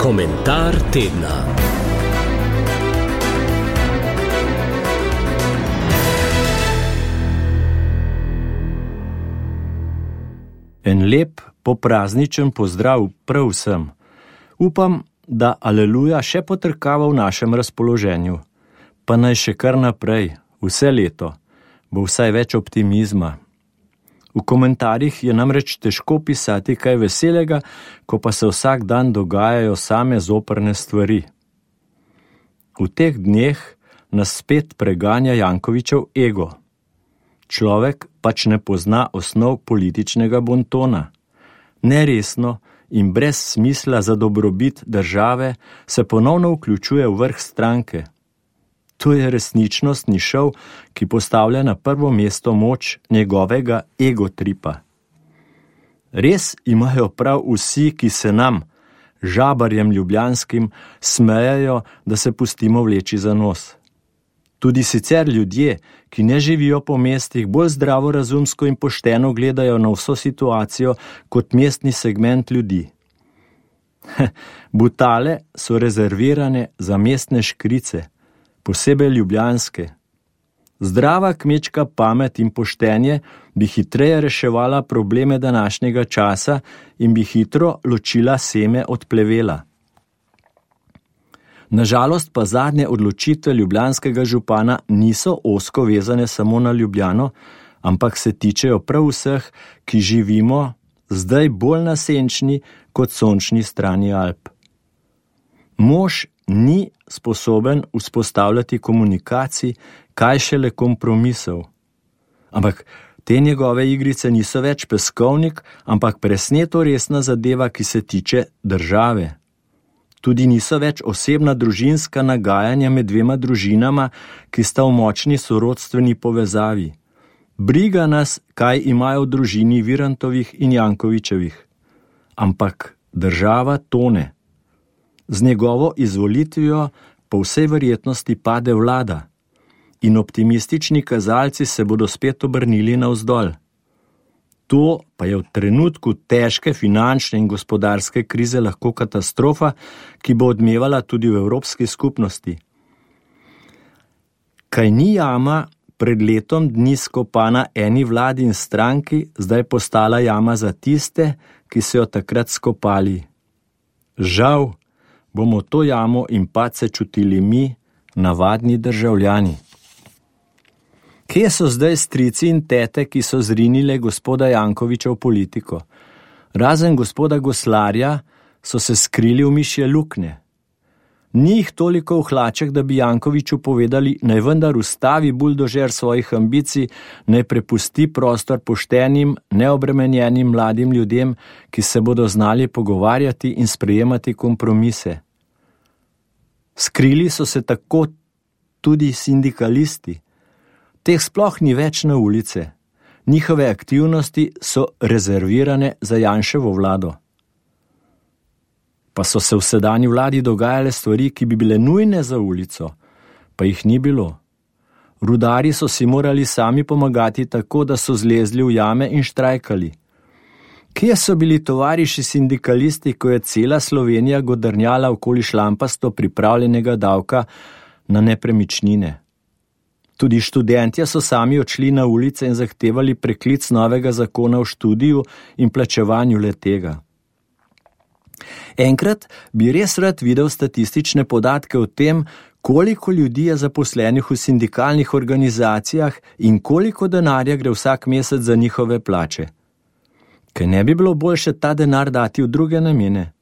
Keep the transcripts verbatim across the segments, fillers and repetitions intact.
Komentar tedna. En lep poprazničen pozdrav prav vsem. Upam, da aleluja še potrkava v našem razpoloženju. Pa naj še kar naprej, vse leto, bo vsaj več optimizma. V komentarjih je namreč težko pisati kaj veselega, ko pa se vsak dan dogajajo same zoprne stvari. V teh dneh nas spet preganja Jankovićev ego. Človek pač ne pozna osnov političnega bontona. Neresno in brez smisla za dobrobit države se ponovno vključuje v vrh stranke. To je resničnostni šov, ki postavlja na prvo mesto moč njegovega egotripa. Res imajo prav vsi, ki se nam, žabarjem ljubljanskim, smejajo, da se pustimo vleči za nos. Tudi sicer ljudje, ki ne živijo po mestih, bolj zdravorazumsko in pošteno gledajo na vso situacijo kot mestni segment ljudi. Butale so rezervirane za mestne škrice, posebej ljubljanske. Zdrava kmečka pamet in poštenje bi hitreje reševala probleme današnjega časa in bi hitro ločila seme od plevela. Nažalost pa zadnje odločitve ljubljanskega župana niso ozko vezane samo na Ljubljano, ampak se tičejo prav vseh, ki živimo zdaj bolj na senčni kot sončni strani Alp. Mož ni sposoben vzpostavljati komunikacij, kaj šele kompromisov. Ampak te njegove igrice niso več peskovnik, ampak presneto resna zadeva, ki se tiče države. Tudi niso več osebna družinska nagajanja med dvema družinama, ki sta v močni sorodstveni povezavi. Briga nas, kaj imajo v družini Virantovih in Jankovićevih. Ampak država tone. Z njegovo izvolitvijo po vsej verjetnosti pade vlada in optimistični kazalci se bodo spet obrnili navzdol. To pa je v trenutku težke finančne in gospodarske krize lahko katastrofa, ki bo odmevala tudi v Evropski skupnosti. Kaj ni jama pred letom dni skopana eni vladi in stranki, zdaj postala jama za tiste, ki so jo takrat skopali. Žal bomo to jamo in padce čutili mi, navadni državljani. Kje so zdaj strici in tete, ki so zrinile gospoda Jankovića v politiko? Razen gospoda Goslarja so se skrili v mišje luknje. Ni jih toliko v hlaček, da bi Jankoviću povedali, naj vendar ustavi buldožer svojih ambicij, naj prepusti prostor poštenim, neobremenjenim mladim ljudem, ki se bodo znali pogovarjati in sprejemati kompromise. Skrili so se tako tudi sindikalisti. Teh sploh ni več na ulice. Njihove aktivnosti so rezervirane za Janševo vlado. Pa so se v sedanji vladi dogajale stvari, ki bi bile nujne za ulico, pa jih ni bilo. Rudarji so si morali sami pomagati tako, da so zlezli v jame in štrajkali. Kje so bili tovariši sindikalisti, ko je cela Slovenija godrnjala okoli šlampasto pripravljenega davka na nepremičnine? Tudi študentje so sami odšli na ulice in zahtevali preklic novega zakona o študiju in plačevanju le-tega. Enkrat bi res rad videl statistične podatke o tem, koliko ljudi je zaposlenih v sindikalnih organizacijah in koliko denarja gre vsak mesec za njihove plače. Kaj ne bi bilo boljše ta denar dati v druge namene?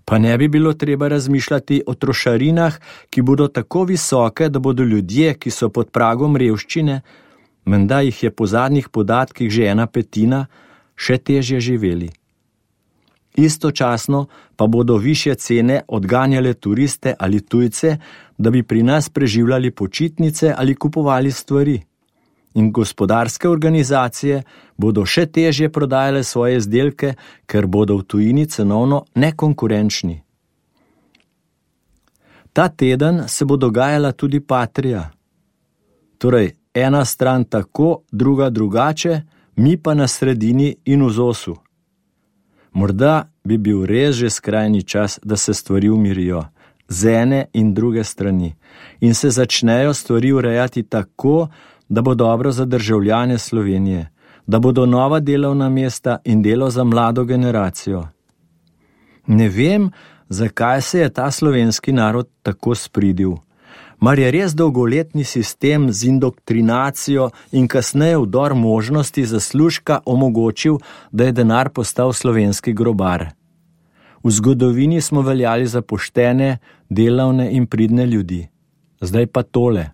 Pa ne bi bilo treba razmišljati o trošarinah, ki bodo tako visoke, da bodo ljudje, ki so pod pragom revščine, menda jih je po zadnjih podatkih že ena petina, še težje živeli. Istočasno pa bodo višje cene odganjale turiste ali tujce, da bi pri nas preživljali počitnice ali kupovali stvari. In gospodarske organizacije bodo še težje prodajale svoje izdelke, ker bodo v tujini cenovno nekonkurenčni. Ta teden se bo dogajala tudi Patria. Torej, ena stran tako, druga drugače, mi pa na sredini in v zosu. Morda bi bil res že skrajni čas, da se stvari umirijo, z ene in druge strani, in se začnejo stvari urejati tako, da bo dobro za državljane Slovenije, da bodo nova delovna mesta in delo za mlado generacijo. Ne vem, zakaj se je ta slovenski narod tako spridil. Mar je res dolgoletni sistem z indoktrinacijo in kasneje vdor možnosti zaslužka omogočil, da je denar postal slovenski grobar. V zgodovini smo veljali za poštene, delavne in pridne ljudi. Zdaj pa tole.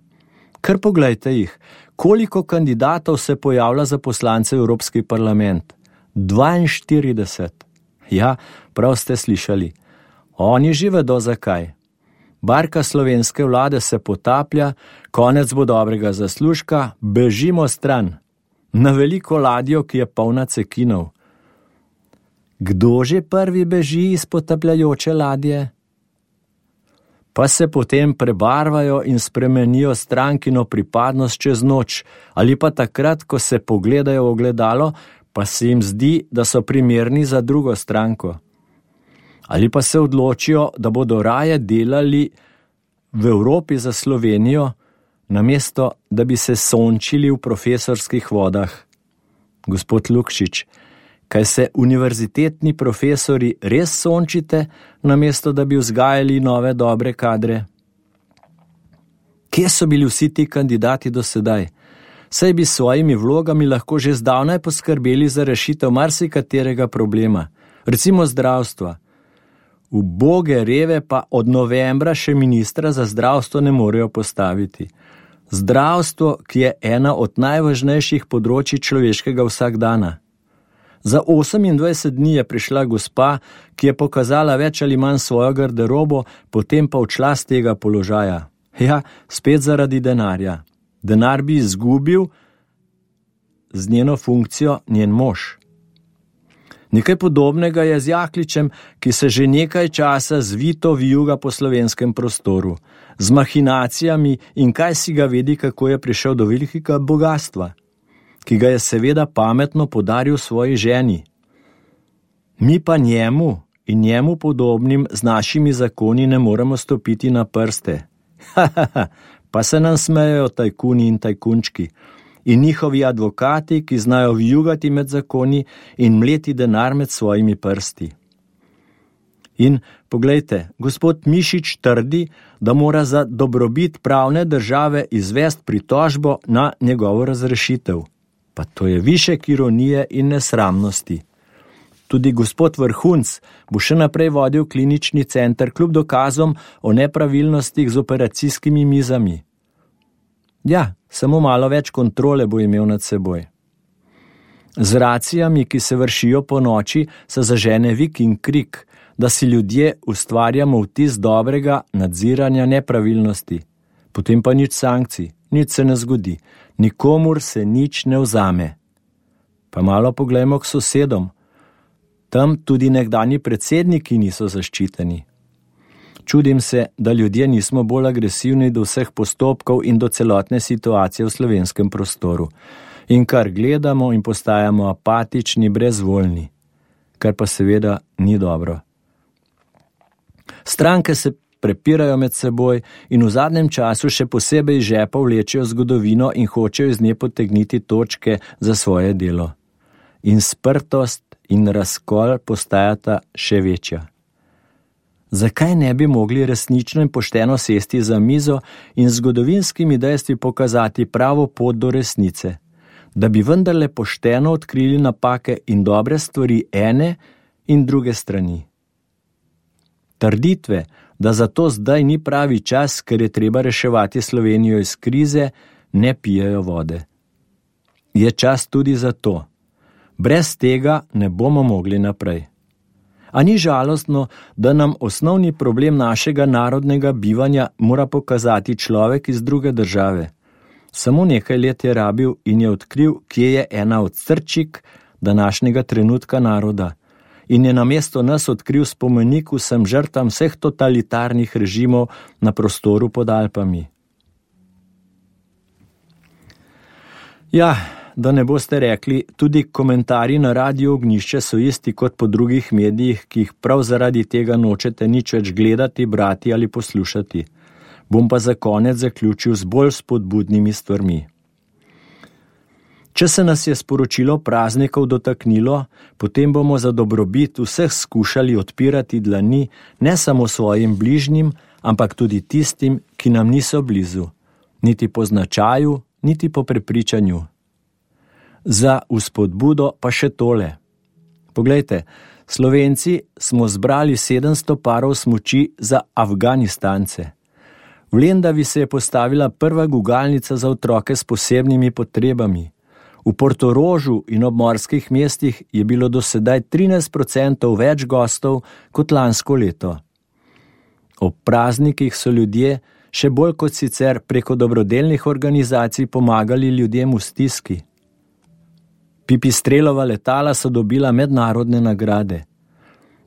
Kar poglejte jih, koliko kandidatov se pojavlja za poslance v Evropski parlament? dvainštirideset. Ja, prav ste slišali. Oni že vedo zakaj. Barka slovenske vlade se potaplja, konec bo dobrega zaslužka, bežimo stran. Na veliko ladjo, ki je polna cekinov. Kdo že prvi beži iz potapljajoče ladje? Pa se potem prebarvajo in spremenijo strankino pripadnost čez noč, ali pa takrat, ko se pogledajo v ogledalo, pa se jim zdi, da so primerni za drugo stranko. Ali pa se odločijo, da bodo raje delali v Evropi za Slovenijo, namesto da bi se sončili v profesorskih vodah. Gospod Lukšič, kaj se univerzitetni profesori res sončite, namesto da bi vzgajali nove dobre kadre? Kje so bili vsi ti kandidati do sedaj? Saj bi s svojimi vlogami lahko že zdavnaj poskrbeli za rešitev marsikaterega problema, recimo zdravstva. Uboge reve pa od novembra še ministra za zdravstvo ne morejo postaviti. Zdravstvo, ki je ena od najvažnejših področij človeškega vsakdana. Za osemindvajset dni je prišla gospa, ki je pokazala več ali manj svojo garderobo, potem pa odšla z tega položaja. Ja, spet zaradi denarja. Denar bi izgubil z njeno funkcijo njen mož. Nekaj podobnega je z Jakličem, ki se že nekaj časa zvito vijuga po slovenskem prostoru, z mahinacijami in kaj si ga vedi, kako je prišel do velikega bogatstva, ki ga je seveda pametno podaril svoji ženi. Mi pa njemu in njemu podobnim z našimi zakoni ne moremo stopiti na prste. Ha, ha, ha, pa se nam smejejo tajkuni in tajkunčki in njihovi advokati, ki znajo vijugati med zakoni in mleti denar med svojimi prsti. In poglejte, gospod Mišič trdi, da mora za dobrobit pravne države izvesti pritožbo na njegovo razrešitev. Pa to je višek ironije in nesramnosti. Tudi gospod Vrhunc bo še naprej vodil klinični center kljub dokazom o nepravilnostih z operacijskimi mizami. Ja, samo malo več kontrole bo imel nad seboj. Z racijami, ki se vršijo po noči, se zažene vik in krik, da si ljudje ustvarjamo vtis dobrega nadziranja nepravilnosti. Potem pa nič sankcij, nič se ne zgodi, nikomur se nič ne vzame. Pa malo poglejmo k sosedom. Tam tudi nekdanji predsedniki niso zaščiteni. Čudim se, da ljudje nismo bolj agresivni do vseh postopkov in do celotne situacije v slovenskem prostoru. In kar gledamo in postajamo apatični, brezvoljni. Kar pa seveda ni dobro. Stranke se prepirajo med seboj in v zadnjem času še posebej iz žepa vlečejo zgodovino in hočejo iz nje potegniti točke za svoje delo. In sprtost in razkol postajata še večja. Zakaj ne bi mogli resnično in pošteno sesti za mizo in zgodovinskimi dejstvi pokazati pravo pot do resnice, da bi vendarle pošteno odkrili napake in dobre stvari ene in druge strani? Trditve, da zato zdaj ni pravi čas, ker je treba reševati Slovenijo iz krize, ne pijejo vode. Je čas tudi za to. Brez tega ne bomo mogli naprej. A ni žalostno, da nam osnovni problem našega narodnega bivanja mora pokazati človek iz druge države? Samo nekaj let je rabil in je odkril, kje je ena od srčik današnjega trenutka naroda. In je namesto nas odkril spomenik vsem žrtvam vseh totalitarnih režimov na prostoru pod Alpami. Ja, da ne boste rekli, tudi komentarji na Radio Ognjišče so isti kot po drugih medijih, ki jih prav zaradi tega nočete nič več gledati, brati ali poslušati. Bom pa za konec zaključil z bolj spodbudnimi stvarmi. Če se nas je sporočilo praznikov dotaknilo, potem bomo za dobrobit vseh skušali odpirati dlani ne samo svojim bližnjim, ampak tudi tistim, ki nam niso blizu, niti po značaju, niti po prepričanju. Za vzpodbudo pa še tole. Poglejte, Slovenci smo zbrali sedemsto parov smuči za Afganistance. V Lendavi se je postavila prva gugalnica za otroke s posebnimi potrebami. V Portorožu in obmorskih mestih je bilo do sedaj trinajst procentov več gostov kot lansko leto. Ob praznikih so ljudje še bolj kot sicer preko dobrodelnih organizacij pomagali ljudem v stiski. Pipistrelova letala so dobila mednarodne nagrade.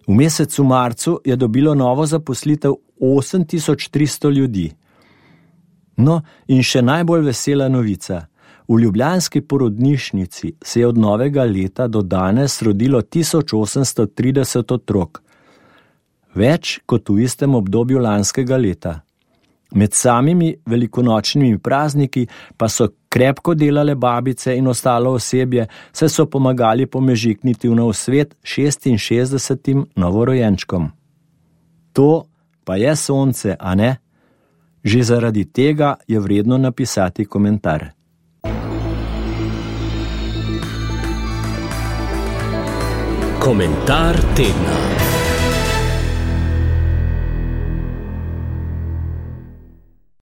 V mesecu marcu je dobilo novo zaposlitev osem tisoč tristo ljudi. No, in še najbolj vesela novica. V ljubljanski porodnišnici se je od novega leta do danes rodilo tisoč osemsto trideset otrok. Več kot v istem obdobju lanskega leta. Med samimi velikonočnimi prazniki pa so krepko delale babice in ostalo osebje, saj so pomagali pomežikniti v nov svet šestinšestdesetim novorojenčkom. To pa je sonce, a ne? Že zaradi tega je vredno napisati komentar. Komentar tedna.